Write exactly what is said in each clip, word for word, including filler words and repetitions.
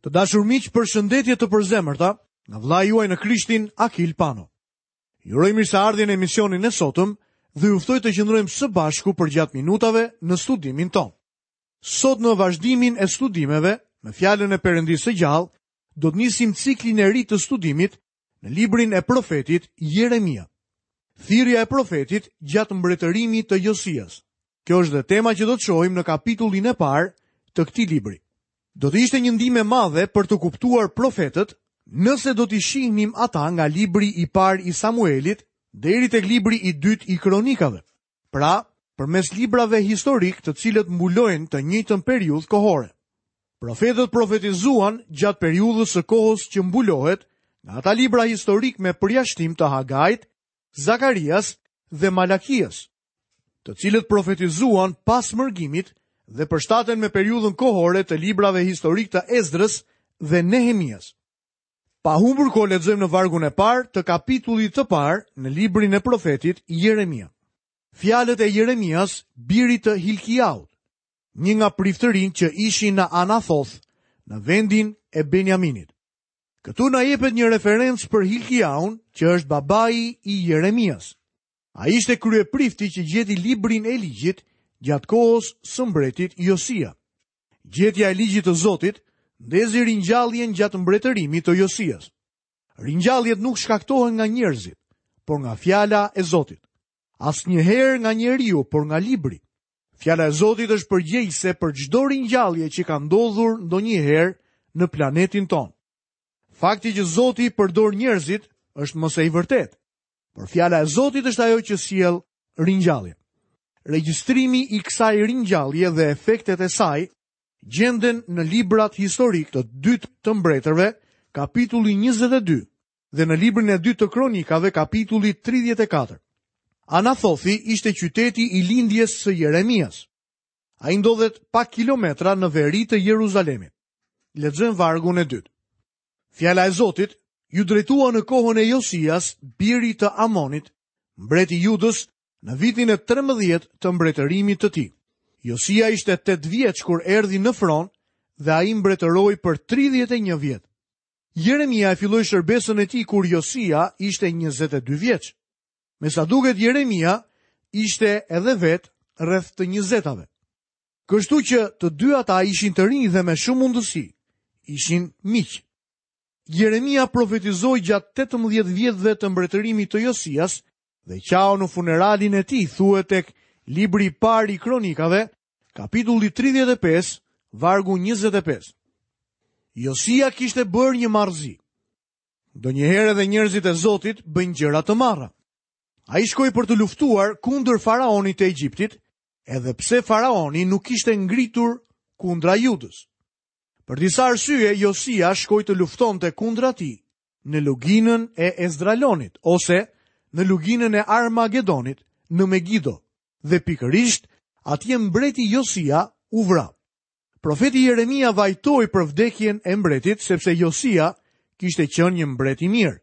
Të dashur miq, përshëndetje të përzemërta nga vëllai juaj në Krishtin, Akil Pano. Ju uroj mirëseardhjen në emisionin e sotëm dhe ju ftoj të qëndrojmë së bashku përgjatë minutave në studimin tonë. Sot në vazhdimin e studimeve me fjalën e Perëndisë së gjallë, do të nisim ciklin e ri të studimit në librin e profetit Jeremia. Thirrja e profetit gjatë mbretërimit të Josias. Kjo është dhe tema që do të shohim në kapitullin e parë të këtij libri. Do të ishte një ndihmë e madhe për të kuptuar profetët nëse do t'i shihnim ata nga libri i parë i Samuelit deri tek libri i dytë i Kronikave. Pra, përmes librave historik të cilët mbulojnë të njëjtën periudhë kohore. Profetët profetizuan gjatë periudhës së kohës që mbulohet nga ata libra historik me përjashtim të Hagait, Zakarias dhe Malakias, të cilët profetizuan pas mërgimit dhe përshtaten me periudhën kohore të librave historik të Ezdrës dhe Nehemias. Pa humbur kohë lexojmë në vargun e parë të kapitullit të parë në librin e profetit Jeremia. Fjalët e Jeremias, birit të Hilkiaut, një nga priftërinjtë që ishin në Anathoth, në vendin e Benjaminit. Këtu na jepet një referencë për Hilkiaun, që është babai i Jeremias. Ai ishte kryeprifti që gjeti librin e ligjit gjatë kohës së mbretit Josia. Gjetja e ligjit të Zotit ndezi ringjalljen gjatë mbretërimit të Josias. Ringjalljet nuk shkaktohen nga njerëzit, por nga fjala e Zotit. Asnjëherë nga njeriu, por nga libri. Fjala e Zotit është përgjegjëse për çdo ringjallje që ka ndodhur ndonjëherë në planetin tonë. Fakti që Zoti përdor njerëzit është më se i vërtetë, por fjala e Zotit është ajo që sjell ringjallje. Regjistrimi i kësaj ringjallje dhe efektet e saj gjenden në librat historik të dytë të mbretërve, kapitulli njëzet e dy, dhe në librin e dytë të kronikave, kapitulli tridhjetë e katër. Anathothi ishte qyteti i lindjes së Jeremias. Ai ndodhet pak kilometra në veri të Jeruzalemit. Lexojmë vargun e dytë. Fjala e Zotit ju drejtua në kohën e Josias, birit të Amonit, mbreti i Judës, në vitin e trembëdhjetë të mbretërimit të tij. Josia ishte tetë vjeç kur erdhi në fron dhe ai mbretëroi për tridhjetë e një vjet. Jeremia e filloi shërbesën e tij kur Josia ishte njëzet e dy vjeç. Me sa duket Jeremia ishte edhe vet rreth të njëzetave. Kështu që të dy ata ishin të rinj dhe me shumë mundësi ishin miq. Jeremia profetizoi gjatë tetëmbëdhjetë vjetëve të mbretërimit të Josias dhe qau në funeralin e tij, thuhet tek libri i parë i Kronikave, kapitulli tridhjetë e pesë, vargu njëzet e pesë. Josia kishte bërë një marrëzi. Ndonjëherë edhe njerëzit e Zotit bëjnë gjëra të marra. Ai shkoi për të luftuar kundër faraonit të Egjiptit, edhe pse faraoni nuk ishte ngritur kundra Judës. Për disa arsye, Josia shkoi të luftonte kundra tij në luginën e Ezdralonit ose në luginën e Armagedonit në Megiddo, dhe pikërisht atje mbreti Josia u vra. Profeti Jeremia vajtoi për vdekjen e mbretit sepse Josia kishte qenë një mbret i mirë.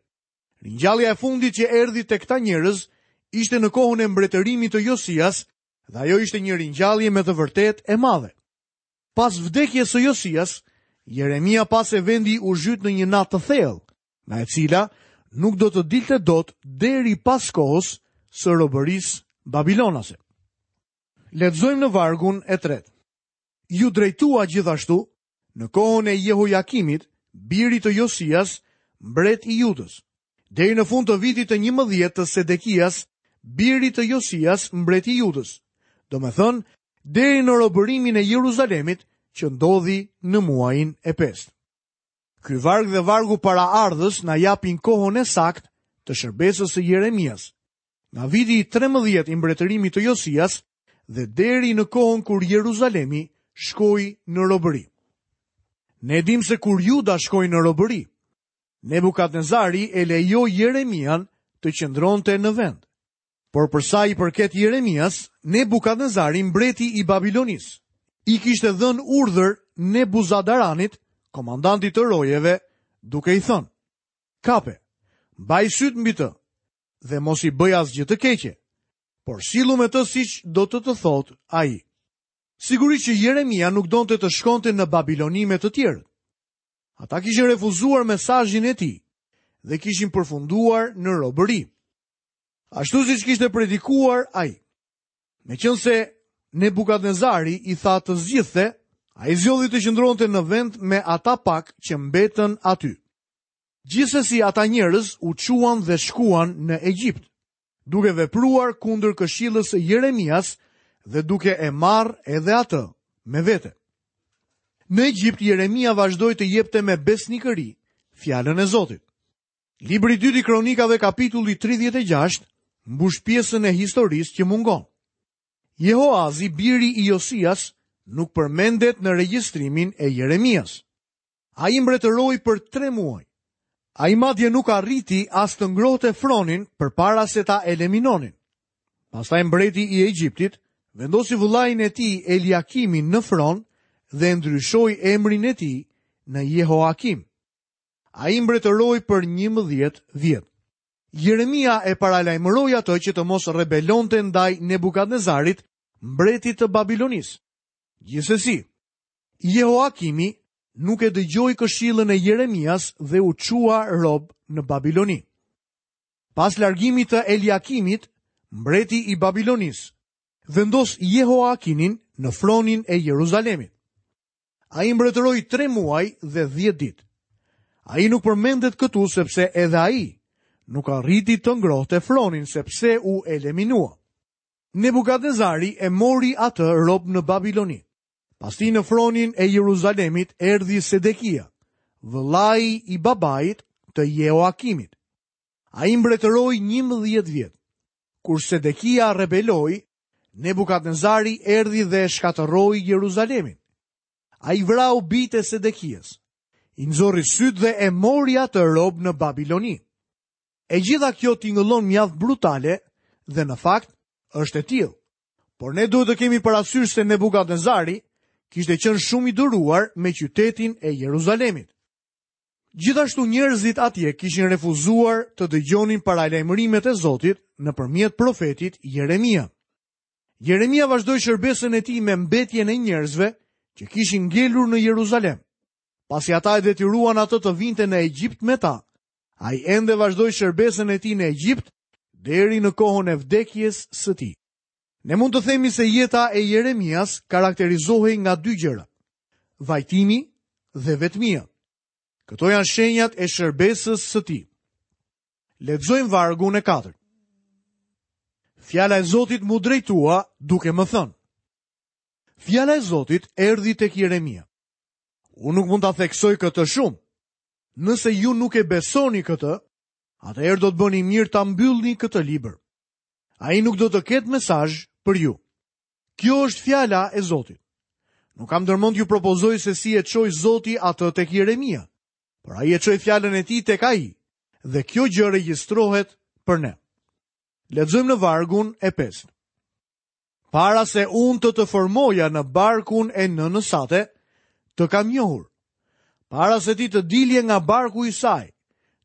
Ringjallja e fundit që erdhi tek këta njerëz ishte në kohën e mbretërimit të Josias dhe ajo ishte një ringjallje me të vërtetë e madhe. Pas vdekjes së Josias, Jeremia pa se vendi u zhyt në një natë të thellë, nga e cila nuk do të dilte dot deri pas kohës së robërisë babilonase. Lexojmë në vargun e tretë. Ju drejtua gjithashtu në kohën e Jehojakimit, birit të Josias, mbret i Judës, deri në fund të vitit të njëmbëdhjetë të Sedekias, birit të Josias, mbret i Judës, domethënë deri në robërimin e Jeruzalemit që ndodhi në muajin e pestë. Ky varg dhe vargu paraardhës na japin kohën e saktë të shërbesës së Jeremias, nga viti i trembëdhjetë i mbretërimit të Josias dhe deri në kohën kur Jeruzalemi shkoi në robëri. Ne dim se kur Juda shkoi në robëri, Nebukadnezari e lejoi Jeremian të qëndronte në vend. Por për sa i përket Jeremias, Nebukadnezari, mbreti i Babilonisë, i kishte dhënë urdhër Nebuzadaranit, komandantit të rojeve, duke i thënë: Kape, mbaj syt mbi të dhe mos i bëj asgjë të keqe, por sillu me të siç do të të thotë ai. Sigurisht që Jeremia nuk donte të shkonte në Babiloni me të tjerët. Ata kishin refuzuar mesazhin e tij dhe kishin përfunduar në robëri. Ashtu siç kishte predikuar ai. Meqenëse Nebukadnezari i tha të zgjidhte, ai zgjodhi të qëndronte në vend me ata pak që mbetën aty. Gjithsesi ata njerëz u çuan dhe shkuan në Egjipt, duke vepruar kundër këshillës së Jeremias dhe duke e marrë edhe atë me vete. Në Egjipt Jeremia vazhdoi të jepte me besnikëri fjalën e Zotit. Libri i dytë i Kronikave kapitulli tridhjetë e gjashtë mbush pjesën e historisë që mungon. Jehoazi, biri i Josias, nuk përmendet në regjistrimin e Jeremias. Ai mbretëroi për tre muaj. Ai madje nuk arriti as të ngrohte fronin përpara se ta eliminonin. Pastaj mbreti i Egjiptit vendosi vëllain e tij Eliakimin në fron dhe ndryshoi emrin e tij në Jehoakim. Ai mbretëroi për njëmbëdhjetë vjet. Jeremia e paralajmëroi atë që të mos rebelonte ndaj Nebukadnezarit, mbretit të Babilonisë. Gjithsesi, Jehoakimi nuk e dëgjoi këshillën e Jeremias dhe u çua rob në Babiloni. Pas largimit të Eliakimit, mbreti i Babilonisë vendos Jehoakinin në fronin e Jeruzalemit. Ai mbretëroi tre muaj dhe dhjetë ditë. Ai nuk përmendet këtu sepse edhe ai nuk arriti të ngrohte fronin sepse u eliminua. Nebukadnezari e mori atë rob në Babiloni. Pastaj në fronin e Jeruzalemit erdhi Sedekia, vëllai i babait të Jehoakimit. Ai mbretëroi njëmbëdhjetë vjet. Kur Sedekia rebeloi, Nebukadnezari erdhi dhe shkatërroi Jeruzalemin. Ai vrau bijtë e Sedekias, i nxorri sytë dhe e mori atë rob në Babiloni. E gjitha kjo tingëllon mjaft brutale dhe në fakt është e tillë. Por ne duhet të kemi parasysh se Nebukadnezari kishte qenë shumë i duruar me qytetin e Jeruzalemit. Gjithashtu njerëzit atje kishin refuzuar të dëgjonin paralajmërimet e Zotit nëpërmjet profetit Jeremia. Jeremia vazhdoi shërbesën e tij me mbetjen e njerëzve që kishin ngelur në Jeruzalem. Pasi ata e detyruan atë të vinte në Egjipt me ta, ai ende vazhdoi shërbesën e tij në Egjipt deri në kohën e vdekjes së tij. Ne mund të themi se jeta e Jeremias karakterizohej nga dy gjëra: vajtimi dhe vetmia. Këto janë shenjat e shërbesës së tij. Lexojmë vargun e katërt. Fjala e Zotit mu drejtua duke më thënë. Fjala e Zotit erdhi tek Jeremia. Unë nuk mund ta theksoj këtë shumë. Nëse ju nuk e besoni këtë, atëherë do të bëni mirë ta mbyllni këtë libër. Ai nuk do të ketë mesazh për ju. Kjo është fjala e Zotit. Nuk kam ndërmend t'ju propozoj se si e çoi Zoti atë tek Jeremia, por ai e çoi fjalën e tij tek ai, dhe kjo gjë regjistrohet për ne. Lexojmë në vargun e pestë. Para se unë të të formoja në barkun e nënës sate, të kam njohur. Para se ti të dilje nga barku i saj,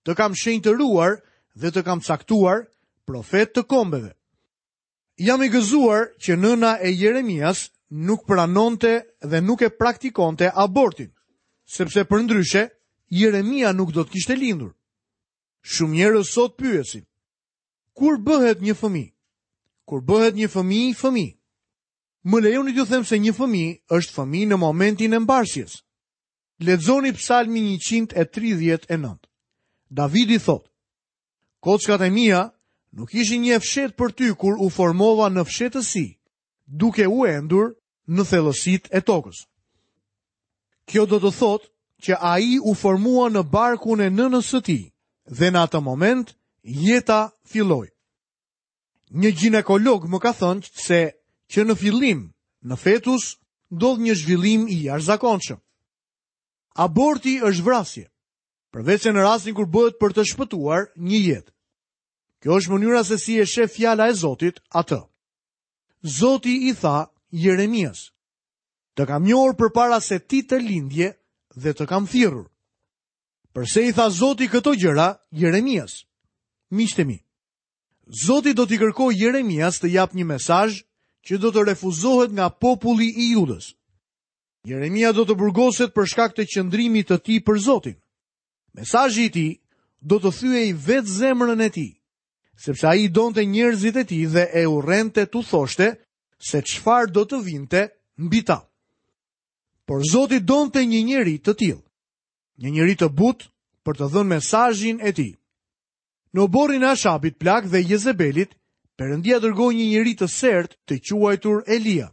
të kam shenjtëruar dhe të kam caktuar profet të kombeve. Jam i gëzuar që nëna e Jeremias nuk pranonte dhe nuk e praktikonte abortin, sepse përndryshe Jeremia nuk do të kishte lindur. Shumë njerëz sot pyesin: kur bëhet një fëmijë? Kur bëhet një fëmijë fëmijë? Më lejoni t'ju them se një fëmijë është fëmijë në momentin e mbarsjes. Lexoni Psalmin njëqind e tridhjetë e nëntë. Davidi thotë: Kockat e mia nuk ishin një e fshehtë për ty kur u formova në fshehtësi, duke u endur në thellësitë e tokës. Kjo do të thotë që ai u formua në barkun e nënës së tij dhe në atë moment jeta filloi. Një gjinekolog më ka thënë se që në fillim, në fetus, ndodh një zhvillim i jashtëzakonshëm. Aborti është vrasje, përveç se në rastin kur bëhet për të shpëtuar një jetë. Kjo është mënyra se si e sheh fjala e Zotit atë. Zoti i tha Jeremias: Të kam njohur përpara se ti të lindje dhe të kam thirrur. Përse i tha Zoti këto gjëra Jeremias? Miqtë e mi, Zoti do t'i kërkojë Jeremias të japë një mesazh që do të refuzohet nga populli i Judës. Jeremia do të burgoset për shkak të qëndrimit të tij për Zotin. Mesazhi i tij do të thyej vetë zemrën e tij, sepse ai donte njerëzit e tij dhe e urrente t'u thoshte se çfarë do të vinte mbi ta. Por Zoti donte një njeri të tillë, një njeri të butë për të dhënë mesazhin e tij. Në oborrin e Ashabit plak dhe Jezebelit, Perëndia dërgoi një njeri të sert të quajtur Elia.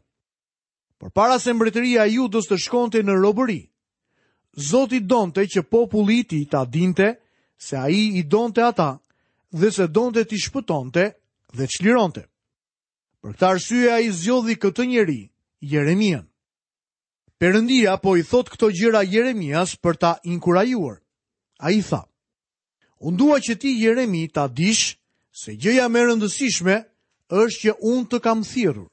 Por para se mbretëria e Judës të shkonte në robëri, Zoti donte që populli i tij ta dinte se ai i donte ata dhe se donte t'i shpëtonte dhe çlironte. Për këtë arsye ai zgjodhi këtë njeri, Jeremian. Perëndia po i thot këto gjëra Jeremias për ta inkurajuar. Ai tha: "Unë dua që ti Jeremi ta dish se gjëja më e rëndësishme është që unë të kam thirrur,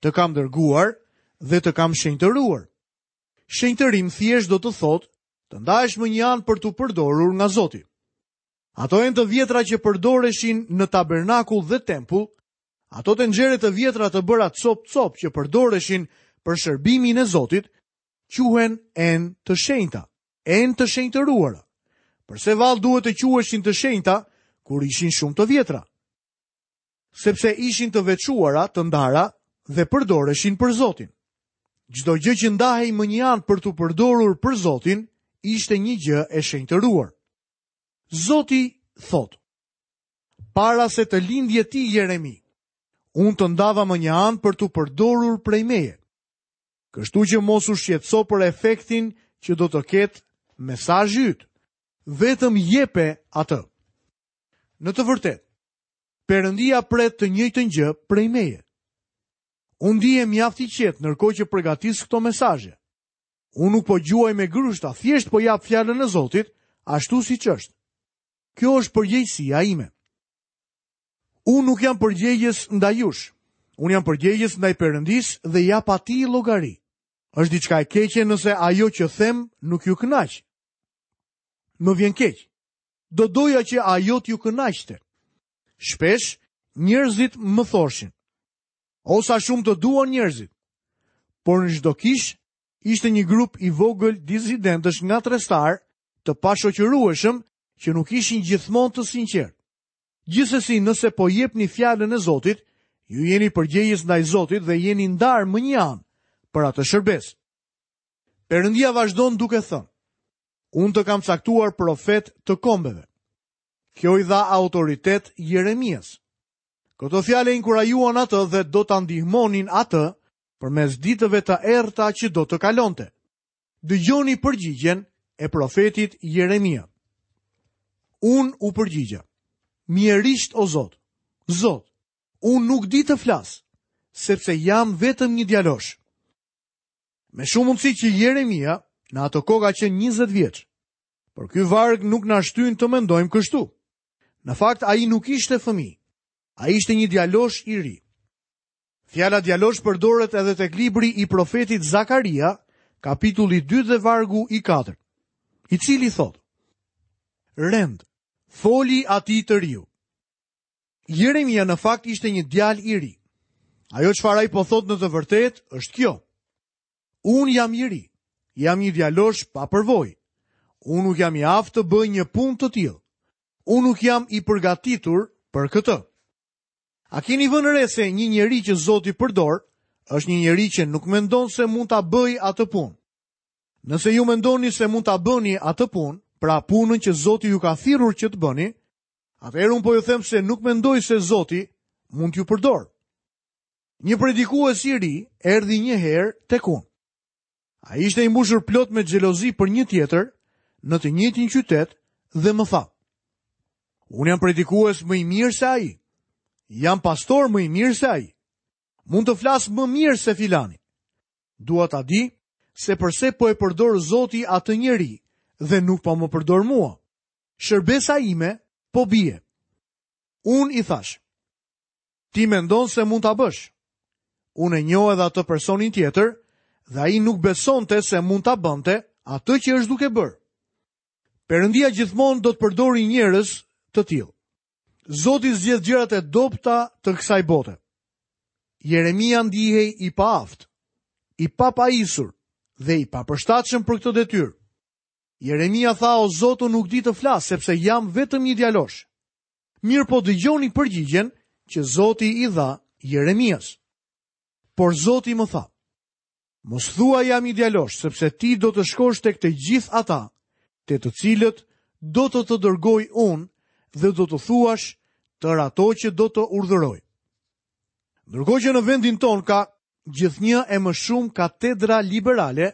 të kam dërguar dhe të kam shenjtëruar." Shenjtërim thjesht do të thotë të ndahesh më një anë për t'u përdorur nga Zoti. Ato enë të vjetra që përdoreshin në tabernakull dhe tempull, ato tenxhere të vjetra të bëra cop-cop që përdoreshin për shërbimin e Zotit, quhen enë të shenjta, enë të shenjtëruara. Përse vallë duhet të quheshin të shenjta kur ishin shumë të vjetra? Sepse ishin të veçuara, të ndara dhe përdoreshin për Zotin. Çdo gjë që ndahej më një anë për t'u përdorur për Zotin, ishte një gjë e shenjtëruar. Zoti thotë: "Para se të lindje ti Jeremi, unë të ndava më një anë për t'u përdorur prej meje. Kështu që mos u shqetëso për efektin që do të ketë mesazhi yt. Vetëm jepe atë." Në të vërtetë, Perëndia pret të njëjtën gjë prej meje. Unë ndihem mjaft i qetë ndërkohë që përgatis këto mesazhe. Unë nuk po gjuaj me grushta, thjesht po jap fjalën e Zotit ashtu siç është. Kjo është përgjegjësia ime. Unë nuk jam përgjegjës ndaj jush. Unë jam përgjegjës ndaj Perëndisë dhe jap atij llogari. Është diçka e keqe nëse ajo që them nuk ju kënaq. Më vjen keq. Do doja që ajo t'ju kënaqte. Shpesh njerëzit më thoshin: "O sa shumë të duan njerëzit." Por në çdo kish ishte një grup i vogël disidentësh nga trestar, të pashoqërueshëm, që nuk ishin gjithmonë të sinqertë. Gjithsesi, nëse po jepni fjalën e Zotit, ju jeni përgjegjës ndaj Zotit dhe jeni ndarë më një anë për atë shërbesë. Perëndia vazhdon duke thënë: "Unë të kam caktuar profet të kombeve." Kjo i dha autoritet Jeremias. Këto fjalë inkurajuan atë dhe do ta ndihmonin atë përmes ditëve të errëta që do të kalonte. Dëgjoni përgjigjen e profetit Jeremia. Unë u përgjigja: "Mjerisht o Zot, Zot, unë nuk di të flas, sepse jam vetëm një djalosh." Me shumë mundësi që Jeremia në atë kohë ka qenë njëzet vjeç. Por ky varg nuk na shtyn të mendojmë kështu. Në fakt ai nuk ishte fëmijë. Ai ishte një djalosh i ri. Fjala djalosh përdoret edhe tek libri i profetit Zakaria, kapitulli dy dhe vargu i katërt, i cili thotë: "Rend, foli atij të riu." Jeremia në fakt ishte një djalë i ri. Ajo çfarë ai po thotë në të vërtetë është kjo: Unë jam i ri, jam një djalosh pa përvojë. Unë nuk jam i aftë të bëj një punë të tillë. Unë nuk jam i përgatitur për këtë. A keni vënë re se një njeri që Zoti përdor është një njeri që nuk mendon se mund ta bëjë atë punë? Nëse ju mendoni se mund ta bëni atë punë, pra punën që Zoti ju ka thirrur që të bëni, atëherë unë po ju them se nuk mendoj se Zoti mund t'ju përdor. Një predikues i ri erdhi një herë tek unë. Ai ishte i mbushur plot me xhelozi për një tjetër në të njëjtin qytet dhe më tha: "Unë jam predikues më i mirë se ai. Jam pastor më i mirë se ai. Mund të flas më mirë se filani. Dua ta di se përse po e përdor Zoti atë njeri dhe nuk po më përdor mua. Shërbesa ime po bie." Unë i thash: "Ti mendon se mund ta bësh?" Unë e njoh edhe atë personin tjetër dhe ai nuk besonte se mund ta bënte atë që është duke bërë. Perëndia gjithmonë do të përdori njerëz të tillë. Zoti zgjedh gjërat e dobta të kësaj bote. Jeremia ndihej i paaftë, i papajisur dhe i papërshtatshëm për këtë detyrë. Jeremia tha, o Zot, unë nuk di të flas, sepse jam vetëm një djalosh. Mirë po dëgjoni përgjigjen që Zoti i dha Jeremias. Por Zoti më tha, mos thua jam një djalosh, sepse ti do të shkosh tek të gjithë ata, te të cilët do të të dërgoj unë dhe do të thuash tërë ato që do të urdhëroj. Ndërkohë që në vendin tonë ka gjithnjë e më shumë katedra liberale,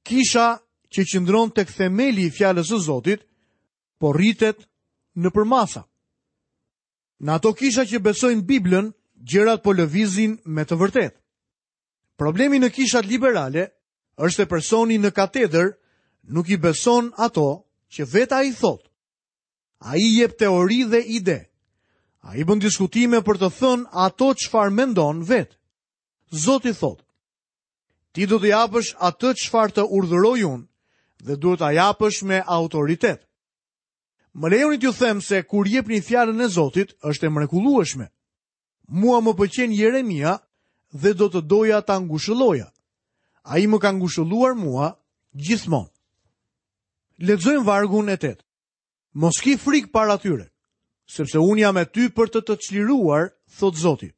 kisha që qëndron tek themeli i fjalës së Zotit, po rritet në përmasa. Në ato kisha që besojnë Biblën, gjërat po lëvizin me të vërtetë. Problemi në kishat liberale është se personi në katedër nuk i beson ato që vetë ai thotë. Ai jep teori dhe ide. Ai bën diskutime për të thënë ato çfarë mendon vetë. Zoti thotë, ti do të japësh atë çfarë të urdhëroj unë dhe duhet ta japësh me autoritet. Më lejoni t'ju them se kur jepni fjalën e Zotit është e mrekullueshme. Mua më pëlqen Jeremia dhe do të doja ta ngushëlloja. Ai më ka ngushëlluar mua gjithmonë. Lexojmë vargun e tetë. Mos ki frikë para tyre, sepse unë jam me ty për të të çliruar, thot Zoti.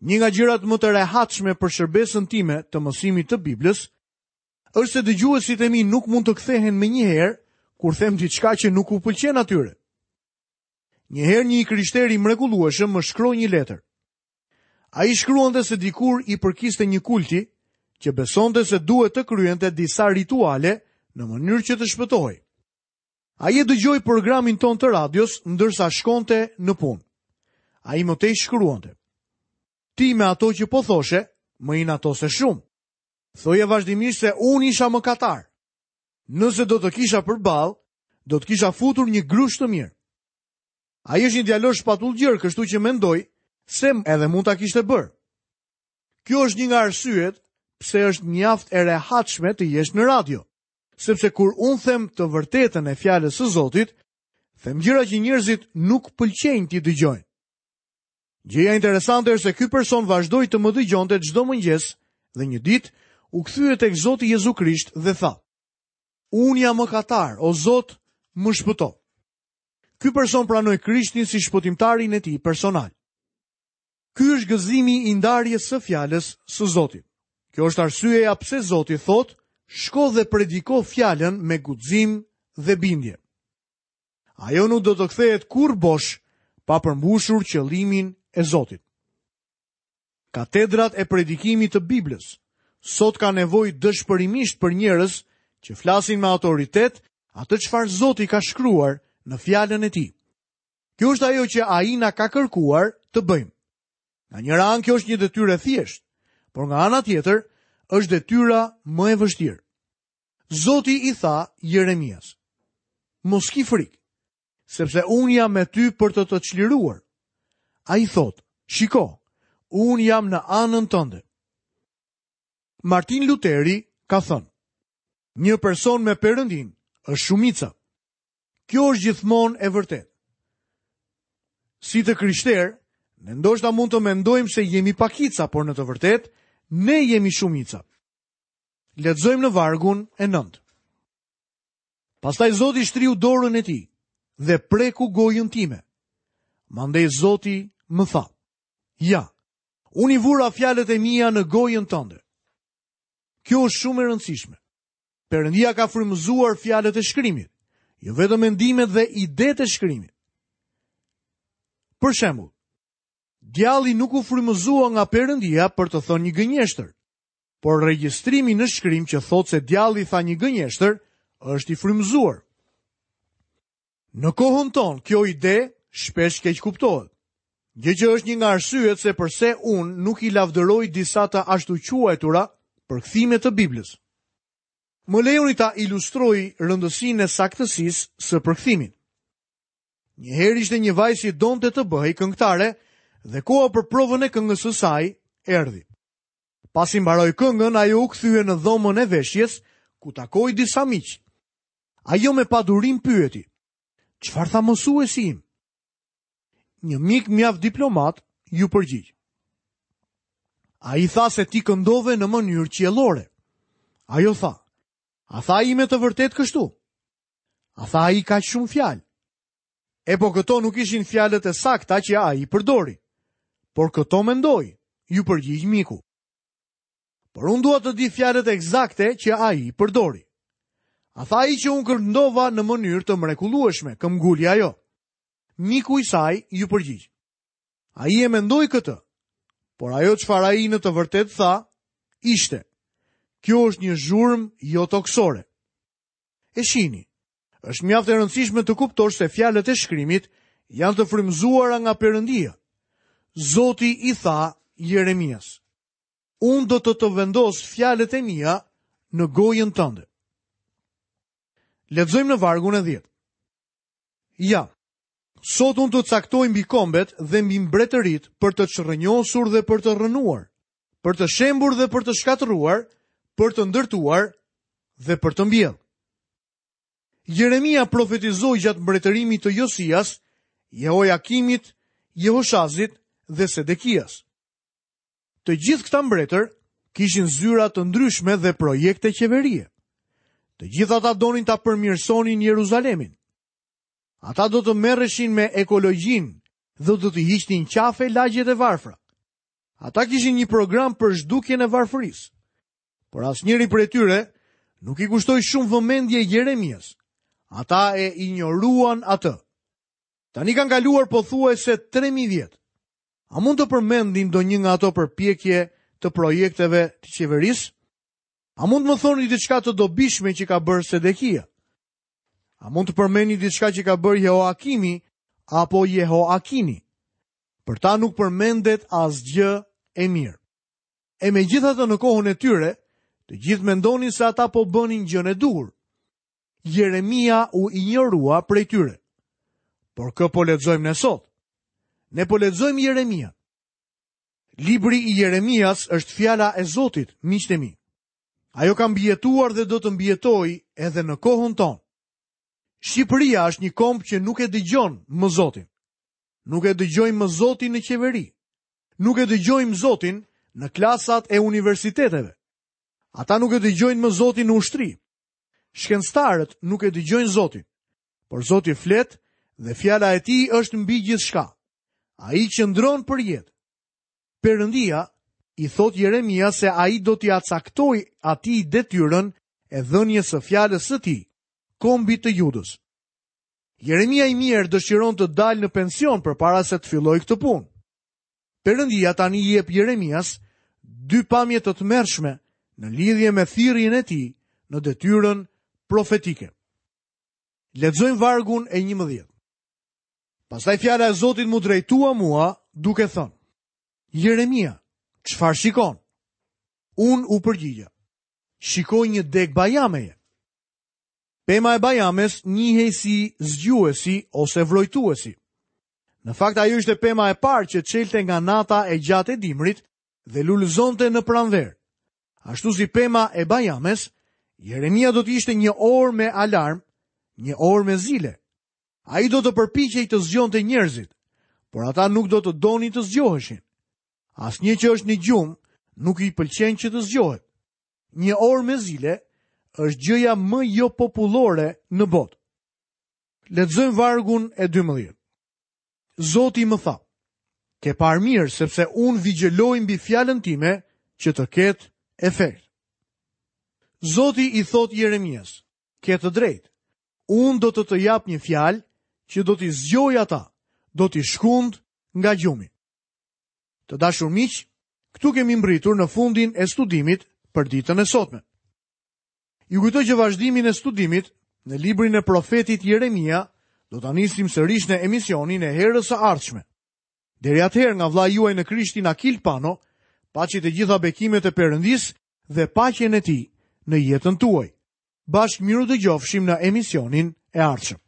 Një nga gjërat më të rehatshme për shërbesën time të mësimit të Biblës është se dëgjuesit e mi nuk mund të kthehen menjëherë kur them diçka që nuk u pëlqen atyre. Një herë një i krishter i mrekullueshëm më shkroi një letër. Ai shkruante se dikur i përkiste një kulti që besonte se duhet të kryente disa rituale në mënyrë që të shpëtohej. Ai e dëgjoi programin ton të radios ndërsa shkonte në punë. Ai më tej shkruante: Ti me ato që po thoshe, më inatose shumë. Thoje vazhdimisht se unë isha mëkatar. Nëse do të kisha përballë, do të kisha futur një grush të mirë. Ai është një djalosh patullgjër, kështu që mendoj se edhe mund ta kishte bërë. Kjo është një nga arsyet pse është mjaft e rehatshme të jesh në radio, sepse kur unë them të vërtetën e fjalës së Zotit, them gjëra që njerëzit nuk pëlqejnë t'i dëgjojnë. Gjëja interesante është se ky person vazhdoi të më dëgjonte çdo mëngjes dhe një ditë u kthye tek Zoti Jezu Krisht dhe tha: Unë jam mëkatar, o Zot, më shpëto. Ky person pranoi Krishtin si shpëtimtarin e tij personal. Ky është gëzimi i ndarjes së fjalës së Zotit. Kjo është arsyeja pse Zoti thotë: shko dhe prediko fjalën me guxim dhe bindje. Ajo nuk do të kthehet kurrë bosh pa përmbushur qëllimin e Zotit. Katedrat e predikimit të Biblës sot ka nevojë dëshpërimisht për njerëz që flasin me autoritet atë çfarë Zoti ka shkruar në fjalën e tij. Kjo është ajo që ai na ka kërkuar të bëjmë. Nga njëra anë kjo është një detyrë e thjeshtë, por nga ana tjetër është detyra më e vështirë. Zoti i tha Jeremias: Mos ki frikë, sepse unë jam me ty për të të çliruar. Ai thotë: Shiko, unë jam në anën tënde. Martin Luteri ka thënë: Një person me Perëndin është shumica. Kjo është gjithmonë e vërtetë. Si të krishterë, ne ndoshta mund të mendojmë se jemi pakica, por në të vërtetë ne jemi shumica. Lexojmë në vargun e nëntë. Pastaj Zoti shtriu dorën e tij dhe preku gojën time. Mandej Zoti më tha: Ja, unë i vura fjalët e mia në gojën tënde. Kjo është shumë e rëndësishme. Perëndia ka frymëzuar fjalët e shkrimit, jo vetëm mendimet dhe idetë e shkrimit. Për shembull, djalli nuk u frymëzua nga Perëndia për të thënë një gënjeshtër, por regjistrimi në shkrim që thotë se djalli tha një gënjeshtër është i frymëzuar. Në kohën tonë, kjo ide shpesh keq kuptohet. Gjë që është një nga arsyet se përse unë nuk i lavdëroj disa të ashtuquajtura përkthime të Biblës. Më lejoni ta ilustroj rëndësinë e saktësisë së përkthimit. Një herë ishte një vajzë që donte të bëhej këngëtare dhe koha për provën e këngës së saj erdhi. Pasi mbaroi këngën, ajo u kthye në dhomën e veshjes, ku takoi disa miq. Ajo me padurim pyeti: Çfarë tha mësuesi im? Një mik mjaft diplomat ju përgjigj: Ai tha se ti këndove në mënyrë qiellore. Ajo tha, a tha ai me të vërtetë kështu? A tha ai kaq shumë fjalë? E po këto nuk ishin fjalët e sakta që ai përdori. Por këto mendoi, iu përgjigj miku. Por unë dua të di fjalët eksakte që ai përdori. A tha ai që unë këndova në mënyrë të mrekullueshme, këmbguli ajo. Miku i saj iu përgjigj. Ai e mendoi këtë, por ajo çfarë ai në të vërtetë tha, ishte: kjo është një zhurmë jo toksore. E shihni, është mjaft e rëndësishme të kuptosh se fjalët e shkrimit janë të frymëzuara nga Perëndia. Zoti i tha Jeremias: unë do të të vendos fjalët e mia në gojën tënde. Lexojmë në vargun e dhjetë. Ja, sot unë të caktoj mbi kombet dhe mbi mbretërit për të çrrënjosur dhe për të rrënuar, për të shembur dhe për të shkatërruar, për të ndërtuar dhe për të mbjellë. Jeremia profetizoi gjatë mbretërimit të Josias, Jehojakimit, Jehoshazit dhe Sedekias. Të gjithë këta mbretër kishin zyra të ndryshme dhe projekte qeverie. Të gjithë ata donin ta përmirësonin Jeruzalemin. Ata do të merreshin me ekologjinë dhe do të hiqnin qafe lagjet e varfra. Ata kishin një program për zhdukjen e varfërisë. Por asnjëri prej tyre nuk i kushtoi shumë vëmendje Jeremias. Ata e injoruan atë. Tani kanë kaluar pothuajse tre mijë vjet. A mund të përmendni ndonjë nga ato përpjekje të projekteve të qeverisë? A mund të më thoni diçka të dobishme që ka bërë Sedekia? A mund të përmendni diçka që ka bërë Jehoakimi apo Jehoakini? Për ta nuk përmendet asgjë e mirë. E megjithatë në kohën e tyre, të gjithë mendonin se ata po bënin gjën e duhur. Jeremia u injorua prej tyre. Por kë po lexojmë ne sot? Ne po lexojmë Jeremia. Libri i Jeremias është fjala e Zotit, miqtë e mi. Ajo ka mbijetuar dhe do të mbijetojë edhe në kohën tonë. Shqipëria është një komb që nuk e dëgjon më Zotin. Nuk e dëgjojmë më Zotin në qeveri. Nuk e dëgjojmë Zotin në klasat e universiteteve. Ata nuk e dëgjojnë më Zotin në ushtri. Shkencëtarët nuk e dëgjojnë Zotin. Por Zoti flet dhe fjala e tij është mbi gjithçka. Ai qëndron për jetë. Perëndia i thot Jeremia se ai do t'ia caktoj atij detyrën e dhënies së fjalës së tij, kombit të Judës. Jeremia i mirë dëshiron të dalë në pension përpara se të fillojë këtë punë. Perëndia tani i jep Jeremias dy pamje të tmerrshme në lidhje me thirrjen e tij në detyrën profetike. Lexojmë vargun e njëmbëdhjetë. Pastaj fjala e Zotit mu drejtua mua duke thënë: Jeremia, çfarë shikon? Unë u përgjigja: shikoj një degë bajameje. Pema e bajames njihej si zgjuesi ose vrojtuesi. Në fakt ajo ishte pema e parë që çelte nga nata e gjatë e dimrit dhe lulëzonte në pranverë. Ashtu si pema e bajames, Jeremia do të ishte një orë me alarm, një orë me zile. Ai do të përpiqej të zgjonte njerëzit, por ata nuk do të donin të zgjoheshin. Asnjë që është në gjumë nuk i pëlqen që të zgjohet. Një orë me zile është gjëja më jo popullore në botë. Lexojmë vargun e dymbëdhjetë. Zoti më tha: ke parë mirë, sepse unë vigjeloj mbi fjalën time që të ketë efekt. Zoti i thot Jeremias: ke të drejtë. Unë do të të jap një fjalë që do t'i zgjoj ata, do t'i shkund nga gjumi. Të dashur miq, këtu kemi mbritur në fundin e studimit për ditën e sotme. Ju kujtoj që vazhdimin e studimit në librin e profetit Jeremia do ta nisim sërish në emisionin e herës së ardhshme. Deri atëherë, nga vllai juaj në Krishtin Akil Pano, paçi të gjitha bekimet e Perëndisë dhe paqen e tij në jetën tuaj. Bashkë miru dëgjofshim në emisionin e ardhshëm.